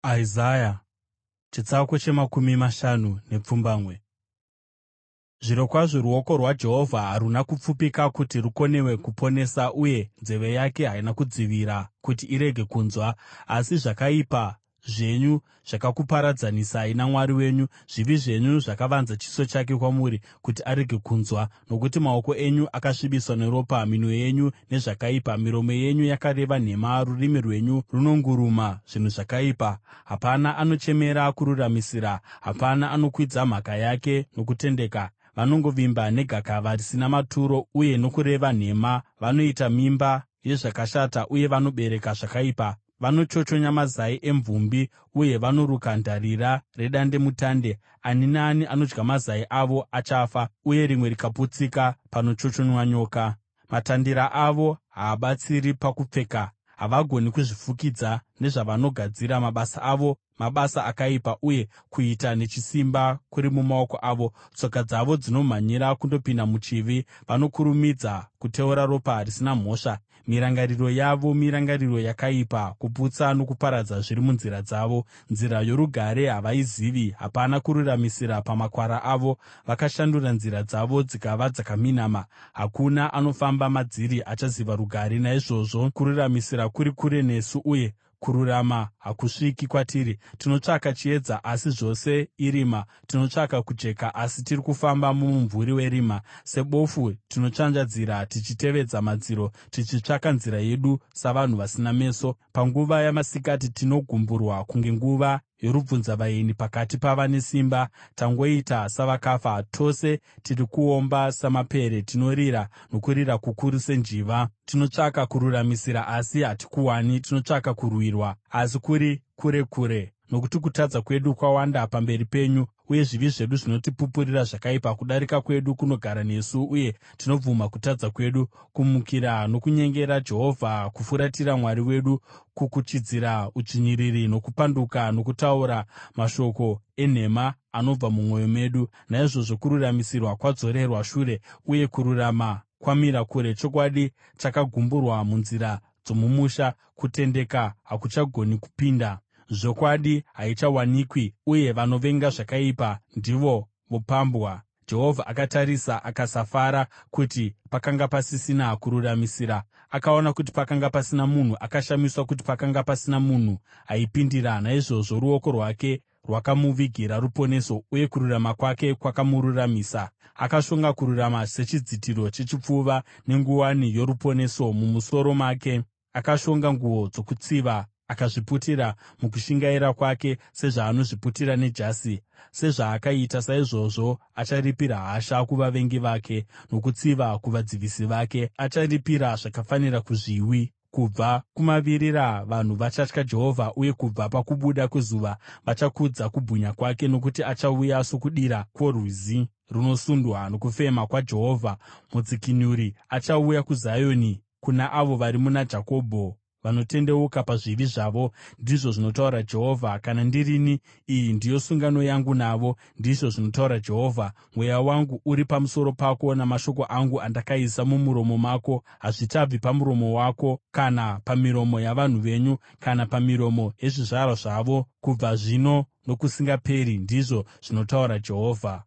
Isaya 57. Zvirokwazvo ruoko rwaJehovha haruna kupfupika kuti rukonewe kuponesa, uye nzeve yake haina kudzivira kuti irege kunzwa. Asi zvakaipa zvenyu zvakakuparadzanisai naMwari wenyu, zvivi zvenyu zvakavanza chiso chake kwamuri kuti arege kunzwa. Nokuti maoko enyu akasvibiswa neropa, minwe yenyu nezvakaipa. Miromo yenyu yakareva nhema, rurimi rwenyu runonguruma zvinhu zvakaipa. Hapana anochemera kururamisira, hapana anokwidza mhaka yake nokutendeka. Vanongovimba negakava risina maturo uye nokureva nhema; vanoita mimba yezvakashata uye vanobereka zvakaipa. Vanochochonya mazai emvumbi uye vanoruka ndarira redandemutande. Ani naani anodya mazai avo achafa, uye rimwe rikaputsika panochochonywa nyoka. Matandira avo haabatsiri pakupfeka; havagoni kuzvifukidza nezvavanogadzira. Mabasa avo mabasa akaipa, uye kuita nechisimba kuri mumaoko avo. Tsoka dzavo dzinomhanyira kundopinda muchivi; vanokurumidza kuteura ropa risina mhosva. Mirangariro yavo mirangariro yakaipa; kuputsa nokuparadza zviri munzira dzavo. Nzira yorugare havaizivi, hapana kururamisira pamakwara avo. Vakashandura nzira dzavo dzikava dzakaminama; hakuna anofamba madziri achaziva rugare. Naizvozvo kururamisira kuri kure nesu, uye kururama hakusviki kwatiri. Tinotsvaka chiedza, asi zvose irima; tinotsvaka kujeka, asi tiri kufamba mumumvuri werima. Sebofu tinotsvanzvadzira tichitevedza madziro, tichitsvaka nzira yedu savanhu vasina meso. Panguva yamasikati tinogumburwa kunge nguva yorubvunzavaeni pakati pavane simba; tangoita savakafa. Tose tiri kuomba samapere, tinorira nokurira kukuru senjiva. Tinotsvaka kururamisira asi hatikuwani, tinotsvaka kurwirwa asi kuri kure kure. Nokuti kutadza kwedu kwawanda pamberi penyu, uye zvivi zvedu zvinotipupurira zvakaipa. Kudarika kwedu kunogara nesu, uye tinobvuma kutadza kwedu: Kumukira nokunyengera Jehovha, kufuratira Mwari wedu, kukuchidzira udzvinyiriri nokupanduka, nokutaura mashoko enhema anobva mumwoyo medu. Naizvozvo kururamisirwa kwadzorerwa shure, uye kururama kwamira kure; chokwadi chakagumburwa munzira dzomumusha, kutendeka hakuchagoni kupinda. Zvokwadi haichawanikwi, uye vanovenga zvakaipa ndivo vopambwa. Jehovha akatarisa akasafara kuti pakanga pasisina kururamisira; akaona kuti pakanga pasina munhu, akashamiswa kuti pakanga pasina munhu aipindira. Naizvozvo ruoko rwake rwakamuvigira ruponeso, uye kururama kwake kwakamururamisa. Akashonga kururama sechidzitiro chechipfuva, nenguwani yoruponeso mumusoro make; akashonga nguo dzokutsiva akazviputira mukushingaira kwake sezvaanozviputira nejasi. Sezvaakaita, saizvozvo acharipira hasha kuvavengi vake, nokutsiva kuvadzivisi vake; acharipira zvakafanira kuzviwi. Kubva kumavirira vanhu vachatya Jehovha, uye kubva pakubuda kwezuva vachakudza kubwinya kwake. Nokuti achauya sokudira kworwizi runosundwa nokufema kwaJehovha; mudzikinuri achauya kuZioni, kuna avo vari muna Jakobwo vanotendeuka pazvivi zvavo,” ndizvo zvinotaura Jehovha. “Kana ndirini, iyi ndiyo sungano yangu navo,” ndizvo zvinotaura Jehovha. “Mweya wangu uri pamusoro pako, namashoko angu andakaisa mumuromo mako, hazvichabvi pamuromo wako, kana pamiromo yavanhu venyu, kana pamiromo yezvizvarwa zvavo, kubva zvino nokusingaperi,” ndizvo zvinotaura Jehovha.